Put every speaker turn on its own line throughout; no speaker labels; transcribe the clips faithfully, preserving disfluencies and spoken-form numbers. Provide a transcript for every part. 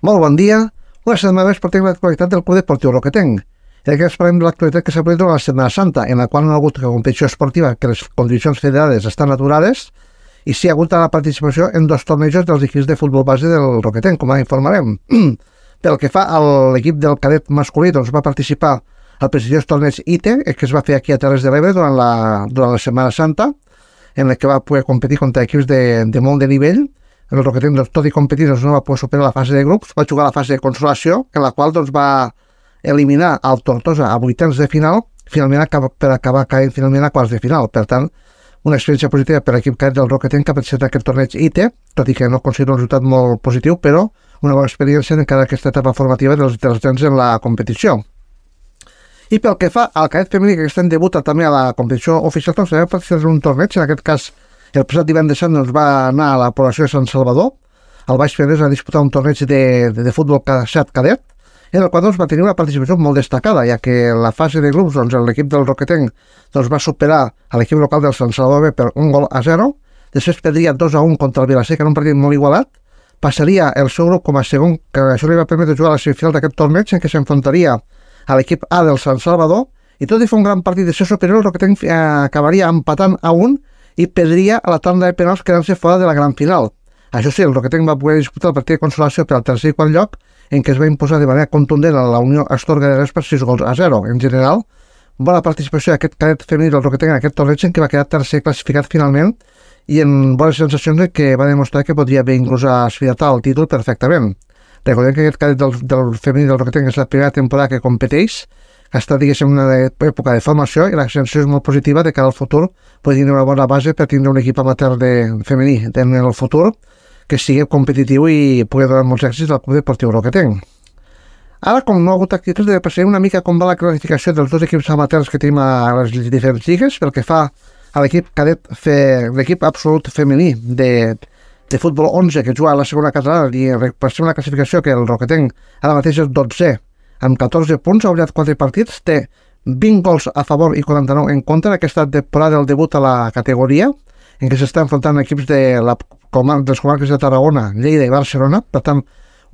Molt bon dia. Una setmana més portem l'actualitat del Club Deportiu Roquetenc. En aquest parlem de l'actualitat que s'ha produït durant la Setmana Santa, en la qual no ha hagut competició esportiva, que les condicions federades estan aturades, i sí ha hagut la participació en dos tornejos dels equips de futbol base del Roquetenc, com ara informarem. Pel que fa a l'equip del cadet masculí, doncs va participar al prestigiós torneig I T E, que es va fer aquí a Terres de l'Ebre durant la, durant la Setmana Santa, en el que va poder competir contra equips de, de molt de nivell. El Roquetenc, doncs, tot i competir, doncs, no va poder superar la fase de grups, va jugar la fase de consolació, en la qual doncs, va eliminar el Tortosa a vuitens de final, finalment per acabar caient finalment a quarts de final. Per tant, una experiència positiva per l'equip cadet del Roquetenc que ha participat en aquest torneig I T E, tot i que no considero un resultat molt positiu, però una bona experiència en cada aquesta etapa formativa dels, dels nens en la competició. I pel que fa al cadet femení, que aquest any debuta també a la competició oficial, doncs va participar en un torneig, en aquest cas el passat divendres sant doncs, va anar a la població de Sant Salvador, al Baix Penedès, a disputar un torneig de, de, de futbol set cadet, en el qual doncs, va tenir una participació molt destacada, ja que la fase de grups doncs, l'equip del Roquetenc doncs, va superar a l'equip local del Sant Salvador B per un gol a zero, després perdria dos a un contra el Vilaseca en un partit molt igualat, passaria el seu grup com a segon, que això li va permetre jugar a la semifinal d'aquest torneig, en què s'enfrontaria a l'equip A del Sant Salvador, i tot i fer un gran partit de ser superior, el Roquetenc eh, acabaria empatant a un i perdria a la tanda de penals quedant-se fora de la gran final. Això sí, el Roquetenc va poder disputar el partit de consolació per al tercer i quart lloc, en què es va imposar de manera contundent a la Unió Astorga de Res per sis gols a zero. En general, bona participació d'aquest cadet femení del Roquetenc en aquest torneig, en què va quedar tercer classificat finalment i en bones sensacions de que va demostrar que podria haver inclús aspirat al títol perfectament. Recordem que aquest cadet del, del femení del Roquetenc és la primera temporada que competeix, que està, diguéssim, en una època de formació, i la sensació és molt positiva de que al futur pot tenir una bona base per tindre un equip amateur de femení en el futur que sigui competitiu i pugui donar molts èxits al Club Deportiu Roquetenc. Ara, com no ha hagut activitats, passaré una mica com va la classificació dels dos equips amateurs que tenim a les diferents lligues, pel que fa a l'equip cadet, l'equip absolut femení de, de futbol onze, que juga a la segona catalana, i per ser una classificació que el Roquetenc ara mateix és dotze, amb catorze punts, ha guanyat quatre partits, té vint gols a favor i quaranta-nou en contra. Aquesta temporada del debut a la categoria, en què s'està enfrontant equips de la, dels comarques de Tarragona, Lleida i Barcelona. Per tant,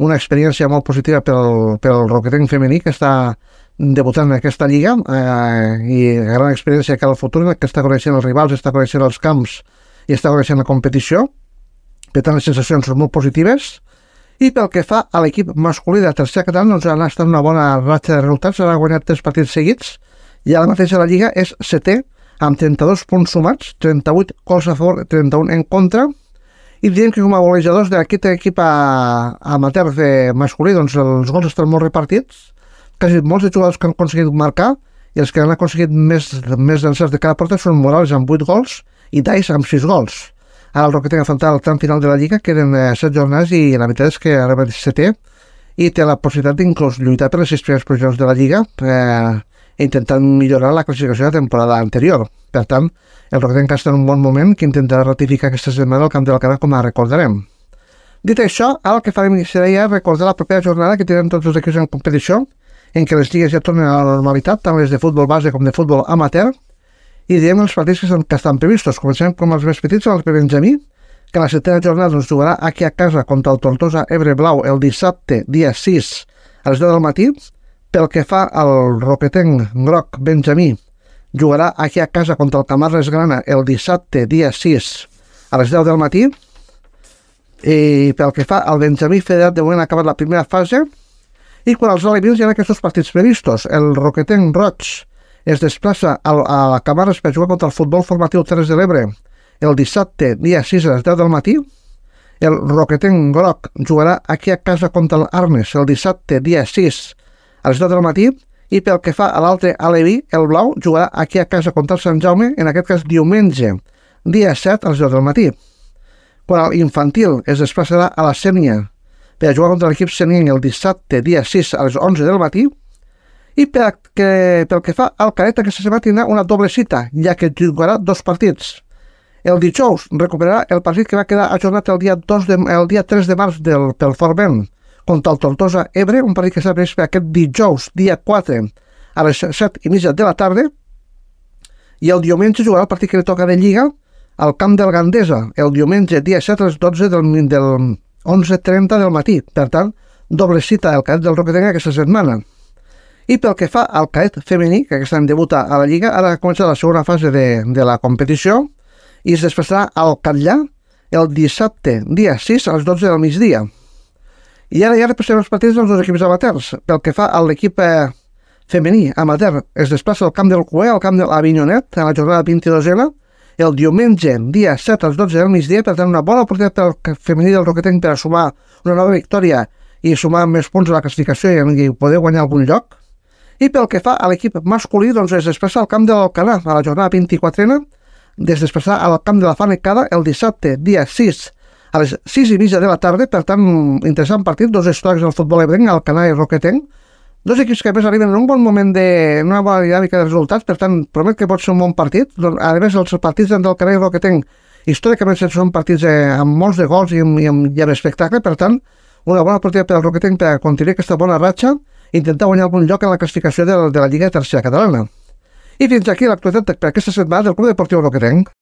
una experiència molt positiva pel, pel Roquetenc femení, que està debutant en aquesta lliga, eh, i gran experiència que al futur, que està coneixent els rivals, està coneixent els camps i està coneixent la competició. Per tant, les sensacions són molt positives. I pel que fa a l'equip masculí de la tercera catalana, doncs ha estat una bona ratxa de resultats, ha guanyat tres partits seguits, i ara mateix a la Lliga és setè, amb trenta-dos punts sumats, trenta-vuit gols a favor, trenta-un en contra, i diem que com a golejadors d'aquest equip amateur de masculí, doncs els gols estan molt repartits, quasi molts de jugadors que han aconseguit marcar, i els que han aconseguit més, més encerts de cada porta són Morales amb vuit gols i Dais amb sis gols. Ara el Roquetenc ha afrontat el tram final de la Lliga, queden eh, set jornades, i la veritat és que ara va setè i té la possibilitat d'inclús lluitar per les sis primeres posicions de la Lliga, eh, intentant millorar la classificació de la temporada anterior. Per tant, el Roquetenc està en un bon moment, que intentarà ratificar aquesta setmana al Camp de l'Alcalá, com a recordarem. Dit això, ara el que farem serà ja recordar la propera jornada que tindrem tots els equips en competició, en què les lligues ja tornen a la normalitat, tant les de futbol base com de futbol amateur, i diem els partits que estan, que estan previstos. Comencem com els més petits, els de Benjamí, que a la setena jornada ens jugarà aquí a casa contra el Tortosa Ebre Blau el dissabte, dia sis, a les deu del matí. Pel que fa al Roquetenc Groc Benjamí, jugarà aquí a casa contra el Camarles Grana el dissabte, dia sis, a les deu del matí. I pel que fa al Benjamí Federat, de moment ha acabat la primera fase, i quan els alevins hi ha aquests partits previstos. El Roquetenc Roig es desplaça a la Camarles per jugar contra el Futbol Formatiu Terres de l'Ebre el dissabte, dia sis, a les deu del matí. El Roquetenc Groc jugarà aquí a casa contra l'Arnes el dissabte, dia sis, a les deu del matí. I pel que fa a l'altre aleví, el Blau jugarà aquí a casa contra el Sant Jaume, en aquest cas diumenge, dia set, a les deu del matí. Quan l'infantil es desplaçarà a la Sénia per jugar contra l'equip senienc el dissabte, dia sis, a les onze del matí. I pel que, pel que fa al cadet, aquesta setmana tindrà una doble cita, ja que jugarà dos partits. El dijous recuperarà el partit que va quedar ajornat el dia, dos de, el dia tres de març del, pel Forment contra el Tortosa Ebre, un partit que s'ha previst per aquest dijous, dia quatre, a les set i mitja de la tarda, i el diumenge jugarà el partit que li toca de Lliga al Camp del Gandesa, el diumenge, dia set, a les dotze del, del onze trenta del matí. Per tant, doble cita del cadet del Roquetenc aquesta setmana. I pel que fa al cadet femení, que aquest any debuta a la Lliga, ara ha començat la segona fase de, de la competició i es desplaçarà al Catllà el dissabte, dia sis, a les dotze del migdia. I ara ja repassem els partits dels dos equips amateurs. Pel que fa a l'equip eh, femení amateur, es desplaça al camp del Cué, al camp de l'Avinyonet, a la jornada vint-i-dosena, el diumenge, dia set, a les dotze del migdia, per tant una bona oportunitat pel femení del Roquetenc per a sumar una nova victòria i sumar més punts a la classificació i poder guanyar algun lloc. I pel que fa a l'equip masculí, doncs es desplaça al camp de l'Alcanar a la jornada vint-i-quatrena, es desplaçarà al camp de la Fanecada el dissabte, dia sis, a les sis i mitja de la tarda. Per tant, interessant partit, dos històrics del futbol ebrenc, Alcanar i Roquetenc, dos equips que a més arriben en un bon moment de una bona dinàmica de resultats, per tant, promet que pot ser un bon partit. A més, els partits d'Alcanar i Roquetenc històricament són partits eh, amb molts de gols i amb, i amb, i amb espectacle, per tant, una bona oportunitat per al Roquetenc per a continuar aquesta bona ratxa, intentar guanyar algun lloc en la classificació de, de la Lliga Tercera Catalana. I fins aquí l'actualitat per aquesta setmana del Club Deportiu Roquetenc.